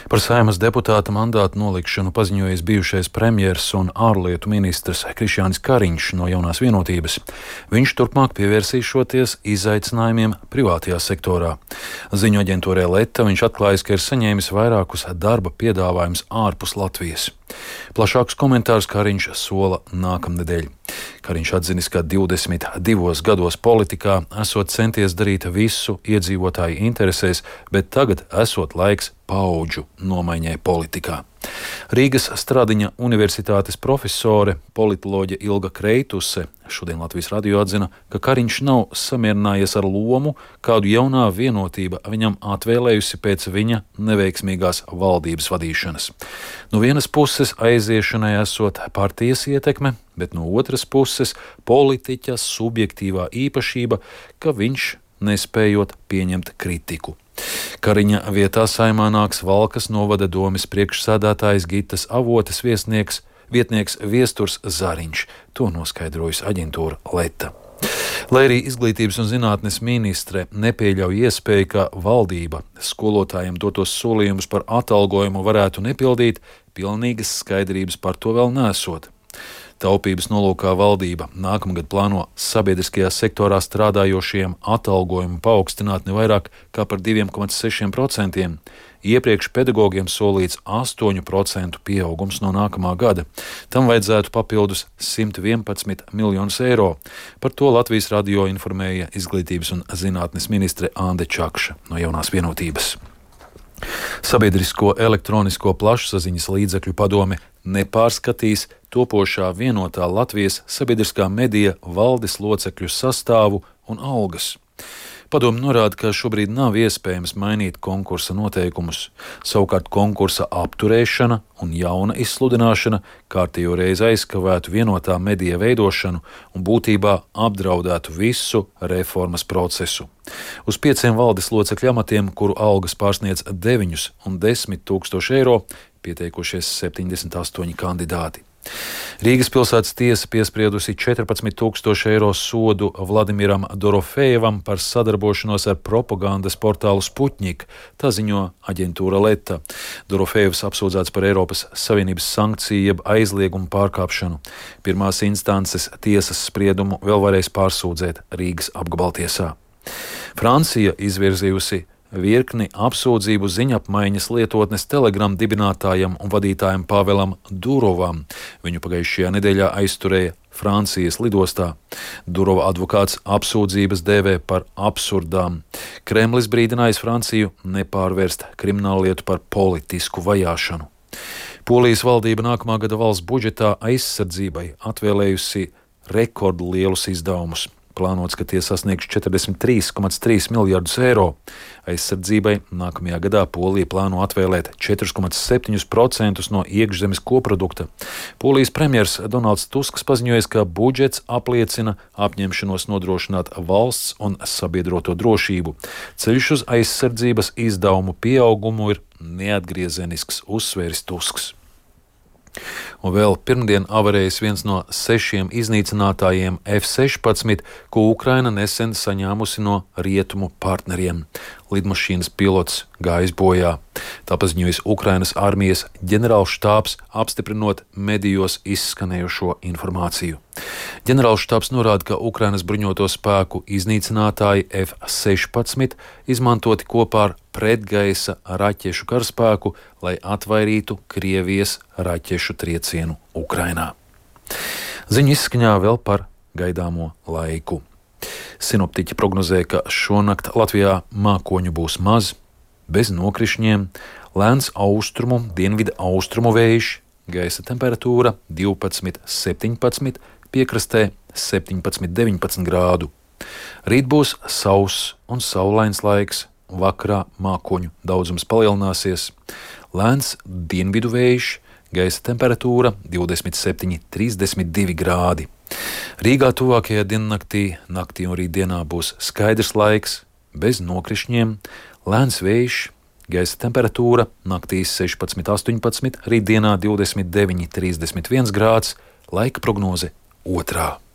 Par Saeimas deputāta mandātu nolikšanu paziņojis bijušais premjers un ārlietu ministrs Krišjānis Kariņš no Jaunās Vienotības. Viņš turpmāk pievērsīšoties izaicinājumiem privātajā sektorā. Ziņu aģentūrai Leta viņš atklājis, ka ir saņēmis vairākus darba piedāvājumus ārpus Latvijas. Plašākus komentārus Kariņš sola nākamnedēļ. Kariņš atzinis, ka 22 gados politikā esot centies darīt visu iedzīvotāju interesēs, bet tagad esot laiks paudžu nomaiņai politikā. Rīgas Stradiņa universitātes profesore, politoloģe Ilga Kreituse šodien Latvijas radio atzina, ka Kariņš nav samierinājies ar lomu, kādu Jaunā Vienotība viņam atvēlējusi pēc viņa neveiksmīgās valdības vadīšanas. No vienas puses aiziešanai esot partijas ietekme, bet no otras puses politiķa subjektīvā īpašība, ka viņš nespējot pieņemt kritiku. Kariņa vietā Saeimā nāks Valkas novada domes priekšsēdētājs Gitas Avotes vietnieks Viesturs Zariņš. To noskaidrojusi aģentūra Leta. Lai arī Izglītības un zinātnes ministre nepieļauj iespēju, ka valdība skolotājiem dotos solījumus par atalgojumu varētu nepildīt, pilnīgas skaidrības par to vēl nesot. Taupības nolūkā valdība nākamgad plāno sabiedriskajā sektorā strādājošiem atalgojumu paaugstināt ne vairāk kā par 2,6%. Iepriekš pedagogiem solīts 8% pieaugums no nākamā gada. Tam vajadzētu papildus 111 miljonus eiro. Par to Latvijas radio informēja Izglītības un zinātnes ministre Ande Čakša no Jaunās Vienotības. Sabiedrisko elektronisko plašsaziņas līdzekļu padome nepārskatīs topošā vienotā Latvijas sabiedriskā medija valdes locekļu sastāvu un algas. Padome norāda, ka šobrīd nav iespējams mainīt konkursa noteikumus. Savukārt konkursa apturēšana un jauna izsludināšana kārtējo reizi aizkavētu vienotā medija veidošanu un būtībā apdraudētu visu reformas procesu. Uz 5 valdes locekļu amatiem, kuru algas pārsniedz 9 un 10 tūkstoši eiro, pieteikušies 78 kandidāti. Rīgas pilsētas tiesa piespriedusi 14,000 eiro sodu Vladimiram Dorofejevam par sadarbošanos ar propagandas portālu Sputnik, tā ziņo aģentūra Leta. Dorofejevs apsūdzēts par Eiropas Savienības sankciju jeb aizliegumu pārkāpšanu. Pirmās instances tiesas spriedumu vēl varēs pārsūdzēt Rīgas apgabaltiesā. Francija izvirzījusi virkni apsūdzību ziņapmaiņas lietotnes Telegram dibinātājam un vadītājam Pavelam Durovam. Viņu pagājušajā nedēļā aizturēja Francijas lidostā. Durova advokāts apsūdzības dēvē par absurdām. Kremlis brīdinājis Franciju nepārvērst krimināllietu par politisku vajāšanu. Polijas valdība nākamā gada valsts budžetā aizsardzībai atvēlējusi rekordlielus izdevumus. Plānots, ka tie sasniegs 43,3 miljardus eiro. Aizsardzībai nākamajā gadā Polija plāno atvēlēt 4,7% no iekšzemes koprodukta. Polijas premjers Donalds Tusks paziņojis, ka budžets apliecina apņemšanos nodrošināt valsts un sabiedroto drošību. Ceļš uz aizsardzības izdevumu pieaugumu ir neatgriezenisks, uzsvēris Tusks. Un vēl pirmdien avarējis viens no 6 iznīcinātājiem F-16, ko Ukraina nesen saņēmusi no rietumu partneriem. Lidmašīnas pilots gājis bojā. Tā paziņojas Ukrainas armijas ģenerālštābs, apstiprinot medijos izskanējušo informāciju. Ģenerālštābs norāda, ka Ukrainas bruņoto spēku iznīcinātāji F-16 izmantoti kopā ar pretgaisa raķešu karaspēku, lai atvairītu Krievijas raķešu triecienu Ukrainā. Ziņu izskaņā vēl par gaidāmo laiku. Sinoptiķi prognozē, ka šonakt Latvijā mākoņu būs maz, bez nokrišņiem, lēns austrumu, dienvidu austrumu vējš, gaisa temperatūra 12–17, piekrastē 17–19 grādu. Rīt būs sauss un saulains laiks, vakarā mākoņu daudzums palielināsies, lēns dienvidu vējš, gaisa temperatūra 27–32 grādi. Rīgā tuvākajā naktī un rītdienā būs skaidrs laiks, bez nokrišņiem, lēns vējš, gaisa temperatūra naktīs 16–18, rītdienā 29–31 grāds, laika prognoze 2.